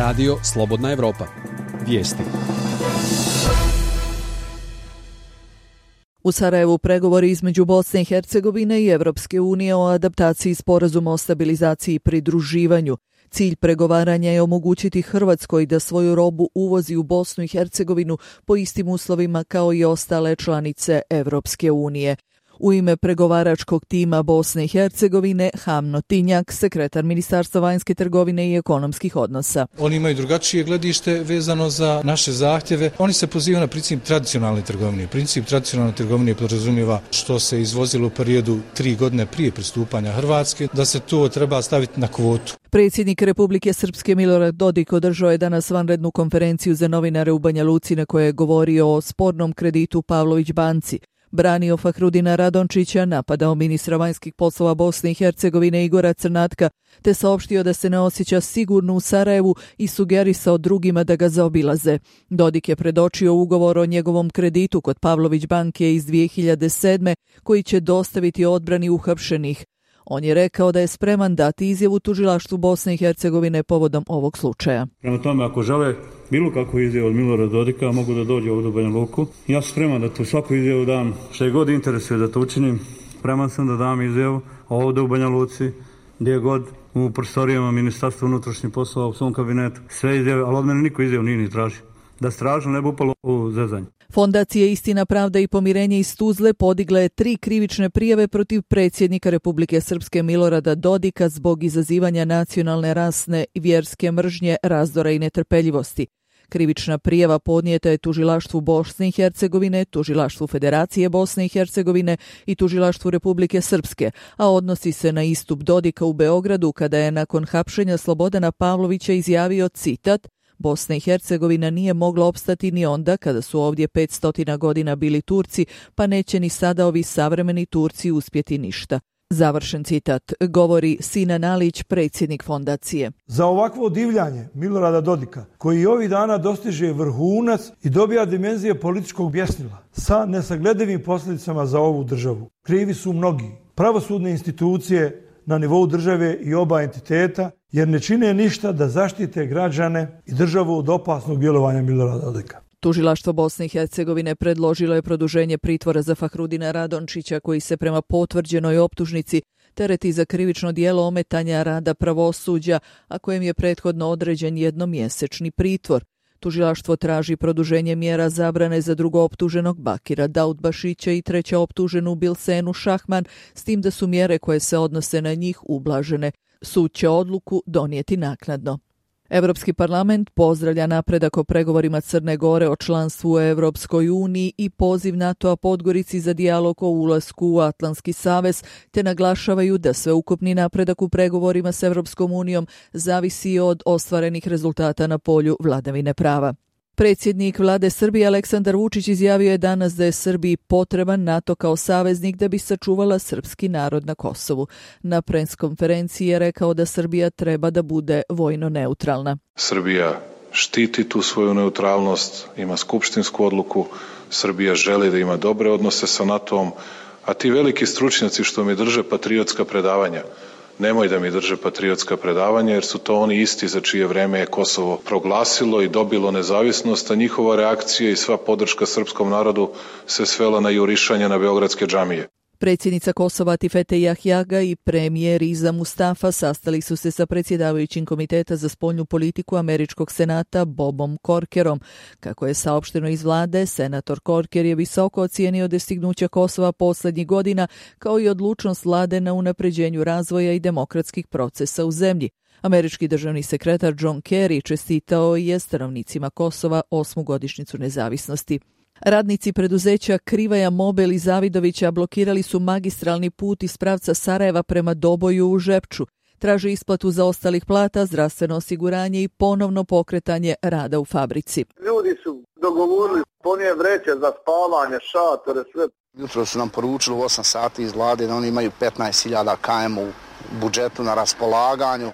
Radio Slobodna Evropa. Vijesti. U Sarajevu pregovori između Bosne i Hercegovine i Evropske unije o adaptaciji sporazuma o stabilizaciji i pridruživanju. Cilj pregovaranja je omogućiti Hrvatskoj da svoju robu uvozi u Bosnu i Hercegovinu po istim uslovima kao i ostale članice Evropske unije. U ime pregovaračkog tima Bosne i Hercegovine Hamno Tinjak, sekretar Ministarstva vanjske trgovine i ekonomskih odnosa. Oni imaju drugačije gledište vezano za naše zahtjeve. Oni se pozivaju na princip tradicionalne trgovine. Princip tradicionalne trgovine podrazumijeva što se izvozilo u periodu 3 godine prije pristupanja Hrvatske, da se to treba staviti na kvotu. Predsjednik Republike Srpske Milorad Dodik održao je danas vanrednu konferenciju za novinare u Banja Luci na kojoj je govorio o spornom kreditu Pavlović banci. Branio Fahrudina Radončića, napadao ministra vanjskih poslova Bosne i Hercegovine Igora Crnatka, te saopštio da se ne osjeća sigurno u Sarajevu i sugerisao drugima da ga zaobilaze. Dodik je predočio ugovor o njegovom kreditu kod Pavlović banke iz 2007. koji će dostaviti odbrani uhapšenih. On je rekao da je spreman dati izjavu tužilaštvu Bosne i Hercegovine povodom ovog slučaja. Prema tome, ako žele bilo kakvu izjavu od Milorada Dodika, mogu da dođu ovdje u Banja Luku. Ja sam spreman da tu svaku izjavu dam, što je god interesuje da to učinim. Spreman sam da dam izjavu ovdje u Banja Luci, gdje god u prostorijama Ministarstva unutrašnjih poslova u svom kabinetu. Sve izjave, ali od mene niko izjavu nije ni tražio. Da stražno ne bi upalo u zezanje. Fondacija Istina, pravda i pomirenje iz Tuzle podigla je 3 krivične prijave protiv predsjednika Republike Srpske Milorada Dodika zbog izazivanja nacionalne, rasne i vjerske mržnje, razdora i netrpeljivosti. Krivična prijava podnijeta je tužilaštvu Bosne i Hercegovine, tužilaštvu Federacije Bosne i Hercegovine i tužilaštvu Republike Srpske, a odnosi se na istup Dodika u Beogradu kada je nakon hapšenja Slobodana Pavlovića izjavio, citat, Bosna i Hercegovina nije mogla opstati ni onda kada su ovdje 500 godina bili Turci, pa neće ni sada ovi savremeni Turci uspjeti ništa. Završen citat, govori Sinan Alić, predsjednik fondacije. Za ovakvo divljanje Milorada Dodika, koji ovih dana dostiže vrhunac i dobija dimenzije političkog bjesnila, sa nesagledivim posljedicama za ovu državu. Krivi su mnogi. Pravosudne institucije na nivou države i oba entiteta, jer ne čine ništa da zaštite građane i državu od opasnog djelovanja Milorada Dodika. Tužilaštvo Bosne i Hercegovine predložilo je produženje pritvora za Fahrudina Radončića, koji se prema potvrđenoj optužnici tereti za krivično djelo ometanja rada pravosuđa, a kojem je prethodno određen jednomjesečni pritvor. Tužilaštvo traži produženje mjera zabrane za drugooptuženog Bakira Daudbašića i trećeoptuženu Bilsenu Šahman, s tim da su mjere koje se odnose na njih ublažene. Sud će odluku donijeti naknadno. Europski parlament pozdravlja napredak o pregovorima Crne Gore o članstvu u Europskoj uniji i poziv NATO-a Podgorici za dijalog o ulasku u Atlantski savez, te naglašavaju da sveukupni napredak u pregovorima s Europskom unijom zavisi od ostvarenih rezultata na polju vladavine prava. Predsjednik vlade Srbije Aleksandar Vučić izjavio je danas da je Srbiji potreban NATO kao saveznik da bi sačuvala srpski narod na Kosovu. Na preskonferenciji je rekao da Srbija treba da bude vojno neutralna. Srbija štiti tu svoju neutralnost, ima skupštinsku odluku, Srbija želi da ima dobre odnose sa NATO-om, a ti veliki stručnjaci što mi drže patriotska predavanja, nemoj da mi drže patriotska predavanja, jer su to oni isti za čije vreme je Kosovo proglasilo i dobilo nezavisnost, a njihova reakcija i sva podrška srpskom narodu se svela na jurišanje na beogradske džamije. Predsjednica Kosova Tifete Jahjaga i premijer Iza Mustafa sastali su se sa predsjedavajućim Komiteta za spoljnu politiku Američkog senata Bobom Corkerom. Kako je saopšteno iz vlade, senator Corker je visoko ocijenio dostignuća Kosova posljednjih godina, kao i odlučnost vlade na unapređenju razvoja i demokratskih procesa u zemlji. Američki državni sekretar John Kerry čestitao je stanovnicima Kosova 8. godišnjicu nezavisnosti. Radnici preduzeća Krivaja Mobil i Zavidovića blokirali su magistralni put iz pravca Sarajeva prema Doboju u Žepču. Traže isplatu zaostalih plata, zdravstveno osiguranje i ponovno pokretanje rada u fabrici. Ljudi su dogovorili ponije vreće za spavanje, šatore, sve. Jutro su nam poručili u 8 sati iz vlade da oni imaju 15.000 km u budžetu na raspolaganju.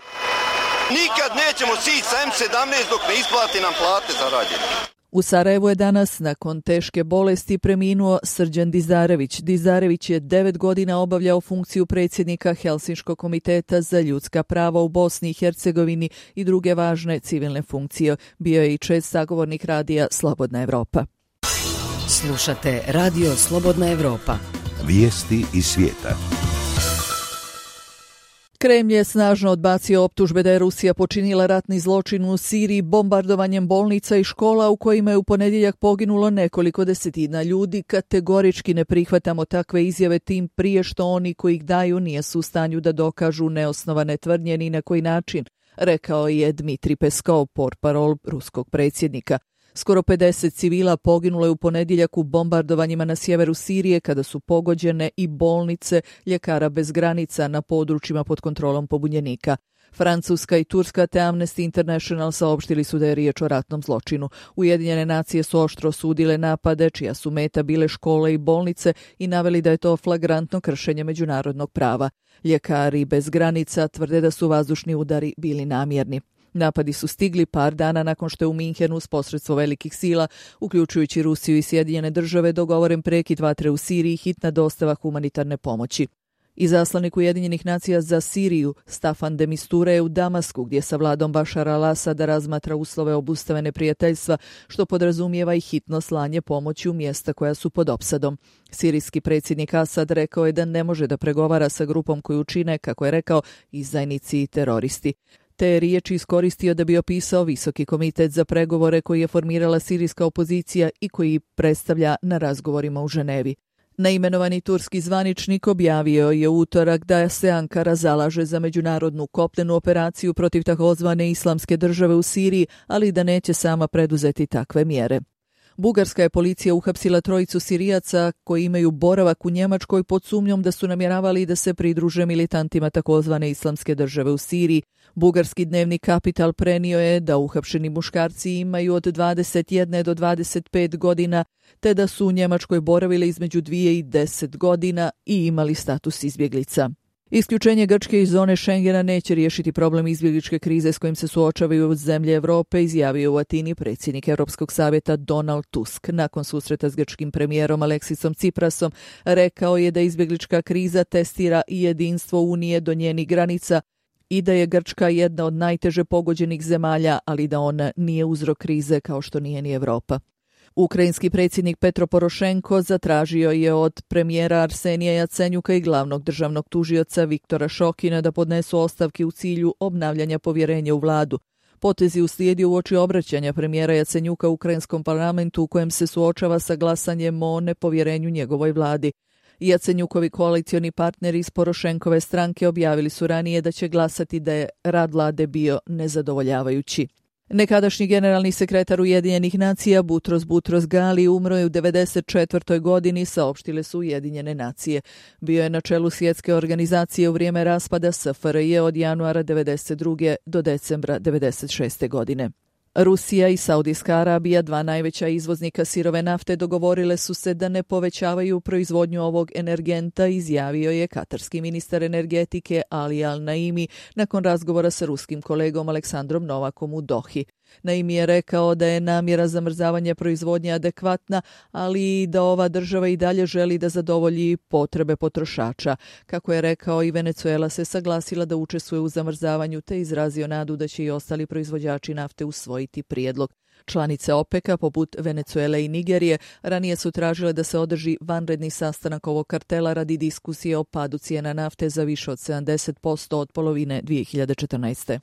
Nikad nećemo sići sa M17 dok ne isplati nam plate zarađene. U Sarajevu je danas nakon teške bolesti preminuo Srđan Dizarević. Dizarević je 9 godina obavljao funkciju predsjednika Helsinškog komiteta za ljudska prava u Bosni i Hercegovini i druge važne civilne funkcije. Bio je i čest sagovornik radija Slobodna Evropa. Slušate Radio Slobodna Evropa. Vijesti iz svijeta. Kremlj je snažno odbacio optužbe da je Rusija počinila ratni zločin u Siriji bombardovanjem bolnica i škola u kojima je u ponedjeljak poginulo nekoliko desetina ljudi. Kategorički ne prihvatamo takve izjave, tim prije što oni koji ih daju nisu u stanju da dokažu neosnovane tvrdnje ni na koji način, rekao je Dmitrij Peskov, portparol ruskog predsjednika. Skoro 50 civila poginulo je u ponedjeljak u bombardovanjima na sjeveru Sirije kada su pogođene i bolnice Ljekara bez granica na područjima pod kontrolom pobunjenika. Francuska i Turska te Amnesty International saopštili su da je riječ o ratnom zločinu. Ujedinjene nacije su oštro osudile napade čija su meta bile škole i bolnice i naveli da je to flagrantno kršenje međunarodnog prava. Ljekari bez granica tvrde da su vazdušni udari bili namjerni. Napadi su stigli par dana nakon što je u Minhenu s posredstvo velikih sila, uključujući Rusiju i Sjedinjene države, dogovoren prekid vatre u Siriji i hitna dostava humanitarne pomoći. Izaslanik Ujedinjenih nacija za Siriju Staffan de Mistura je u Damasku, gdje sa vladom Bašara al-Asada razmatra uslove obustave neprijateljstva, što podrazumijeva i hitno slanje pomoći u mjesta koja su pod opsadom. Sirijski predsjednik Asad rekao je da ne može da pregovara sa grupom koju čine, kako je rekao, izdajnici i teroristi. Te riječi iskoristio da bi opisao Visoki komitet za pregovore koji je formirala sirijska opozicija i koji predstavlja na razgovorima u Ženevi. Neimenovani turski zvaničnik objavio je u utorak da se Ankara zalaže za međunarodnu kopnenu operaciju protiv takozvane islamske države u Siriji, ali da neće sama preduzeti takve mjere. Bugarska je policija uhapsila 3 Sirijaca koji imaju boravak u Njemačkoj pod sumnjom da su namjeravali da se pridruže militantima takozvane islamske države u Siriji. Bugarski dnevnik Kapital prenio je da uhapšeni muškarci imaju od 21 do 25 godina, te da su u Njemačkoj boravili između 2 i 10 godina i imali status izbjeglica. Isključenje Grčke iz zone Schengena neće riješiti problem izbjegličke krize s kojim se suočavaju zemlje Europe, izjavio u Atini predsjednik Europskog savjeta Donald Tusk. Nakon susreta s grčkim premijerom Aleksisom Tsiprasom rekao je da izbjeglička kriza testira i jedinstvo Unije do njenih granica i da je Grčka jedna od najteže pogođenih zemalja, ali da ona nije uzrok krize kao što nije ni Europa. Ukrajinski predsjednik Petro Porošenko zatražio je od premijera Arsenija Jacenjuka i glavnog državnog tužioca Viktora Šokina da podnesu ostavke u cilju obnavljanja povjerenja u vladu. Potez je uslijedio uoči obraćanja premijera Jacenjuka u ukrajinskom parlamentu u kojem se suočava sa glasanjem o nepovjerenju njegovoj vladi. Jacenjukovi koalicioni partneri iz Porošenkove stranke objavili su ranije da će glasati da je rad vlade bio nezadovoljavajući. Nekadašnji generalni sekretar Ujedinjenih nacija Butros Gali umro je u 94. godini, saopštile su Ujedinjene nacije. Bio je na čelu svjetske organizacije u vrijeme raspada SFRJ od januara 92. do decembra 96. godine. Rusija i Saudijska Arabija, 2 najveća izvoznika sirove nafte, dogovorile su se da ne povećavaju proizvodnju ovog energenta, izjavio je katarski ministar energetike Ali Al-Naimi nakon razgovora sa ruskim kolegom Aleksandrom Novakom u Dohi. Naimi je rekao da je namjera zamrzavanja proizvodnje adekvatna, ali i da ova država i dalje želi da zadovolji potrebe potrošača. Kako je rekao, i Venezuela se saglasila da učestvuje u zamrzavanju, te izrazio nadu da će i ostali proizvođači nafte usvojiti prijedlog. Članice OPEC-a, poput Venezuele i Nigerije, ranije su tražile da se održi vanredni sastanak ovog kartela radi diskusije o padu cijena nafte za više od 70% od polovine 2014.